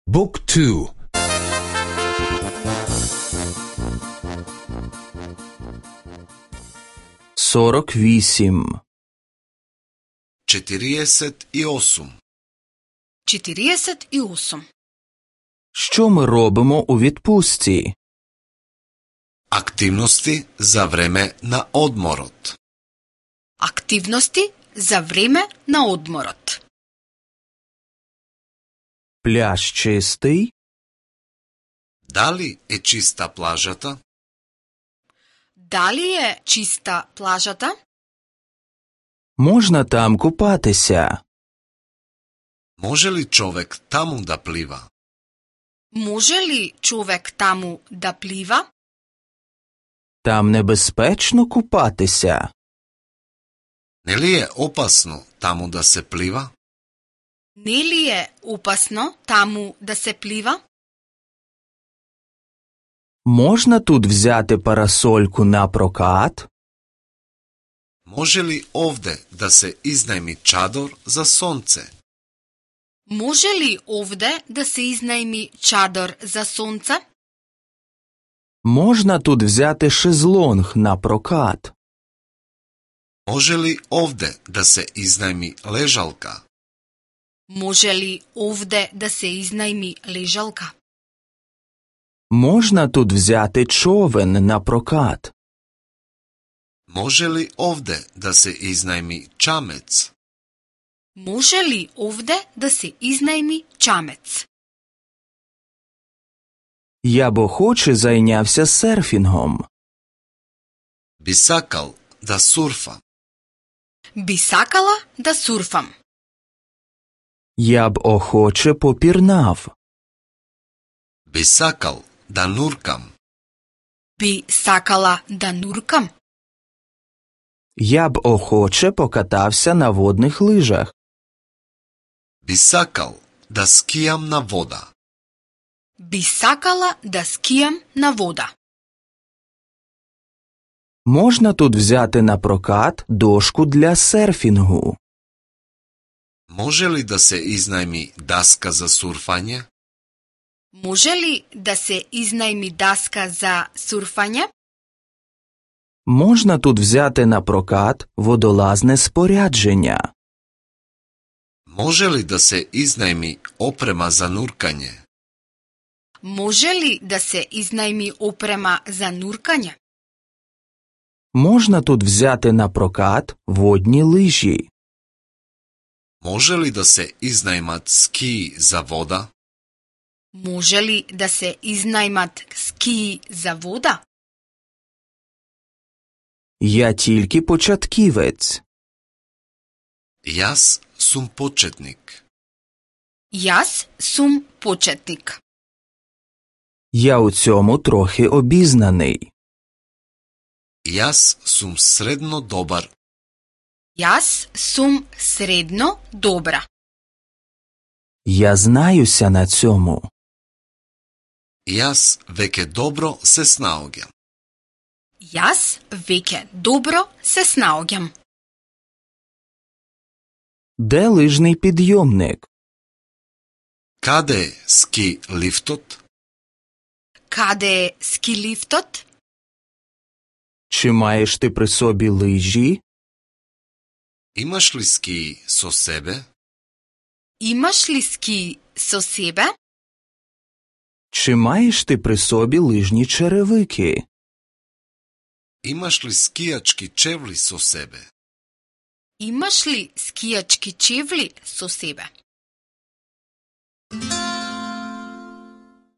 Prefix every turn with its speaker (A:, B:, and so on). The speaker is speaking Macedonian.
A: Book 2.
B: Сорок вісім.
C: 48.
D: 48.
B: Що ми робимо у відпустці?
C: Активности за време на одморот.
D: Активности за време на одморот.
B: Пляж чистий?
C: Дали е чиста плажата?
D: Дали е чиста плажата?
B: Можна там купатися?
C: Може ли човек таму да плива?
D: Може ли човек таму да плива?
B: Там небезпечно купатися?
C: Не ли е опасно таму да се плива?
D: Не ли е опасно таму да се плива?
B: Можна тут взяти парасольку на прокат?
C: Може ли овде да се изнајми чадор за сонце?
D: Може ли овде да се изнајми чадор за сонце?
B: Можна тут взяти шезлонг на прокат?
C: Може ли овде да се изнајми лежалка?
D: Може ли овде да се изнајми лежалка?
B: Можна тут взяти човен на прокат?
C: Може ли овде да се изнајми чамец?
D: Може ли овде да се изнајми чамец?
B: Я б охоче зайнявся серфінгом.
C: Би сакал да сурфа.
D: Би сакала да сурфам.
B: Я б охоче попірнав.
C: Би сакал да нуркам.
D: Би сакала да нуркам.
B: Я б охоче покатався на водних лижах.
C: Би сакал да скијам на вода.
D: Би сакала да скијам на вода.
B: Можна тут взяти на прокат дошку для серфінгу?
C: Може ли да се изнајми даска за сурфање?
D: Може ли да се изнајми даска за сурфање?
B: Можна тут взяти на прокат водолазне спорядження?
C: Може ли да се изнајми опрема за нуркање?
D: Може ли да се изнајми опрема за нуркање?
B: Можна тут взяти на прокат водні лижі?
C: Може ли да се изнајмат скии за вода?
D: Може ли да се изнајмат скии за вода?
B: Я тільки початківець.
C: Јас сум почетник.
D: Јас сум почетник.
B: Я у цьому трохи обізнаний.
C: Јас сум средно добар.
D: Јас сум средно добра.
B: Я знаюся на цьому.
C: Јас веќе добро се снаоѓам.
D: Јас веќе добро се снаоѓам.
B: Де лижний підйомник?
C: Каде е ски лифтот?
D: Каде е ски лифтот?
B: Чи маєш ти при собі лижі?
C: Имаш ли ски со себе?
D: Имаш ли ски со себе?
B: Чи маєш ти при собі лижні черевики?
C: Имаш ли скијачки чевли со себе?
D: Имаш ли скијачки чевли со себе?